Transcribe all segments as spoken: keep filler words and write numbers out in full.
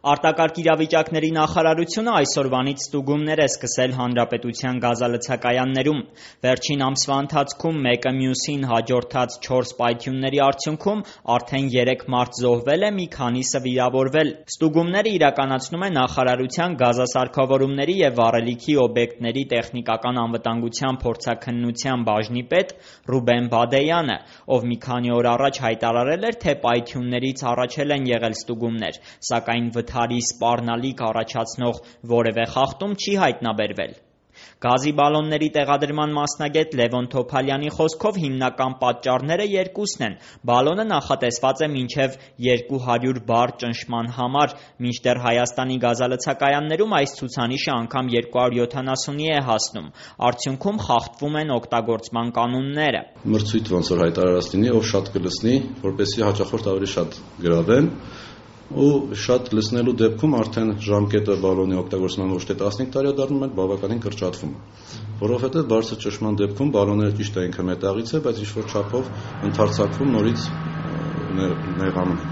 Արտակարգ իրավիճակների նախարարությունը այսօրվանից ստուգումներ է սկսել հանրապետության գազալցակայաններում։ Վերջին ամսվա ընթացքում մեկը մյուսին հաջորդած չորս պայթյունների արդյունքում արդեն երեք մարդ զոհվել է, մի քանիսը վիրավորվել։ Ստուգումները իրականացնում է նախարարության գազասարքավորումների և վառելիքի օբյեկտների տեխնիկական անվտանգության փորձաքննության բաժնի պետ Ռուբեն Բադեյանը, ով մի քանի օր առաջ հայտարարել էր, թե պայթյուններից առաջ էլ են եղել ստուգումներ, սակայն վթարի սպառնալիք առաջացնող որևէ խախտում չի հայտնաբերվել։ Գազի բալոնների տեղադրման մասնագետ Լևոն Թոփալյանի խոսքով հիմնական պատճառները երկուսն են։ Բալոնը նախատեսված է մինչև երկու հարյուր բար ճնշման համար, մինչդեռ Հայաստանի գազալցակայաններում այս ցուցանիշը անգամ երկու հարյուր յոթանասունի է հասնում։ Արդյունքում խախտվում են օգտագործման կանոնները։ Մրցույթ ոնց որ հայտարարած լինի, ով շատ կլսնի, որպեսզի հաճախորդ ավելի շատ գրավեն, ու շատ լսնելու դեպքում արդեն ժամկետը բալոնի օգտագործման ոչ թե տասնհինգ տարի է դառնում, այլ բավականին կրճատվում է, որովհետև բարձր ճնշման դեպքում բալոնները ճիշտ է ինքը մետաղից է, բայց ինչ-որ չափով ընդարձակվում, նորից նեղանում է,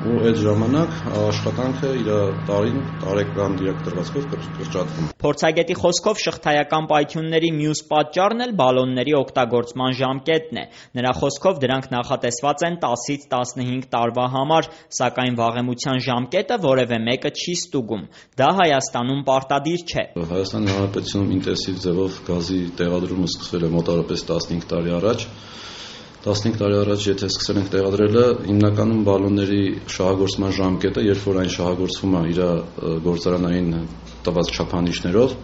ու այդ ժամանակ աշխատանքը իր տարին տարեկան դիրակտրվածքով կրճատվում է։ Փորձագետի խոսքով շղթայական պայթյունների մյուս պատճառն էլ բալոնների օգտագործման ժամկետն է։ Նրա խոսքով դրանք նախատեսված են տասից տասնհինգ տարվա համար, սակայն վաղեմության ժամկետը որևէ մեկը չի ստուգում։ Դա Հայաստանում պարտադիր չէ։ Հայաստանի Հանրապետությունում ինտենսիվ ձևով գազի տեղադրումը սկսվել է մոտավորապես տասնհինգ տարի առաջ։ տասնհինգ տարի առաջ եթե սկսել ենք տեղադրելը, հիմնականում բալոնների շահագործման ժամկետը, երբ որ այն շահագործվում է իր գործարանային տված չափանիշներով,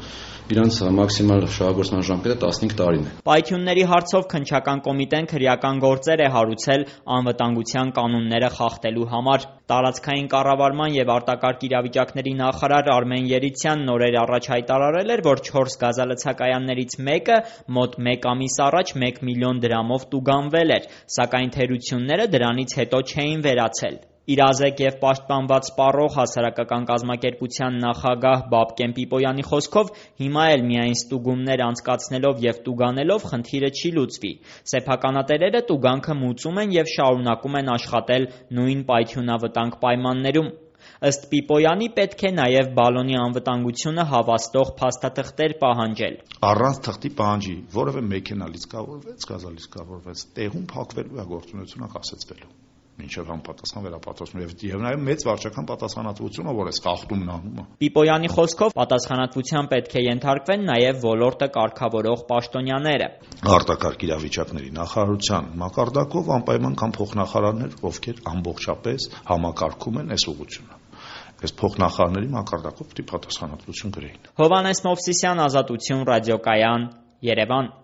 իրանց մաքսիմալ շահագործման ժամկետը տասնհինգ տարին է։ Պայթյունների հարցով քննչական կոմիտեն քրեական գործեր է հարուցել անվտանգության կանոնները խախտելու համար։ Տարածքային կառավարման և արտակարգ իրավիճակների նախարար Արմեն Երիցյանն նորեր առաջ հայտարարել էր, որ չորս գազալցակայաններից մեկը մոտ մեկ ամիս առաջ մեկ միլիոն դրամով տուգանվել էր, սակայն թերությունները դրանից հետո չէին վերացել։ Իրազեկ և պաշտպանված սպառող հասարակական կազմակերպության նախագահ Բաբկեն Պիպոյանի խոսքով հիմա էլ միայն ստուգումներ անցկացնելով և տուգանելով խնդիրը չի լուծվի։ Սեփականատերերը տուգանքը մուծում են և շարունակում են աշխատել նույն պայթյունավտանգ պայմաններում։ Ըստ Պիպոյանի պետք է նաև բալոնի անվտանգությունը հավաստող փաստաթղթեր պահանջել։ Առանց թղթի պահանջի որևէ մեքենա լիցքավորվեց, գազալիցքավորվեց, տեղում փակվելու է գործունեությունը կասեցվելու։ Մինչև համապատասխան վերապատրաստում եւ նաեւ մեծ վարչական պատասխանատվությունը, որ այս խախտումն անում է։ Պիպոյանի խոսքով պատասխանատվության պետք է ենթարկվեն նաեւ ոլորտը կարգավորող պաշտոնյաները։ Արտակարգ իրավիճակների նախարարության մակարդակով անպայման կան փոխնախարարներ, ովքեր ամբողջապես համակարգում են այս ուղղությունը։ Այս փոխնախարարների մակարդակով պետք է պատասխանատվություն գրեին։ Հովհաննես Մովսիսյան, Ազատություն, ռադիոկայան, Երևան։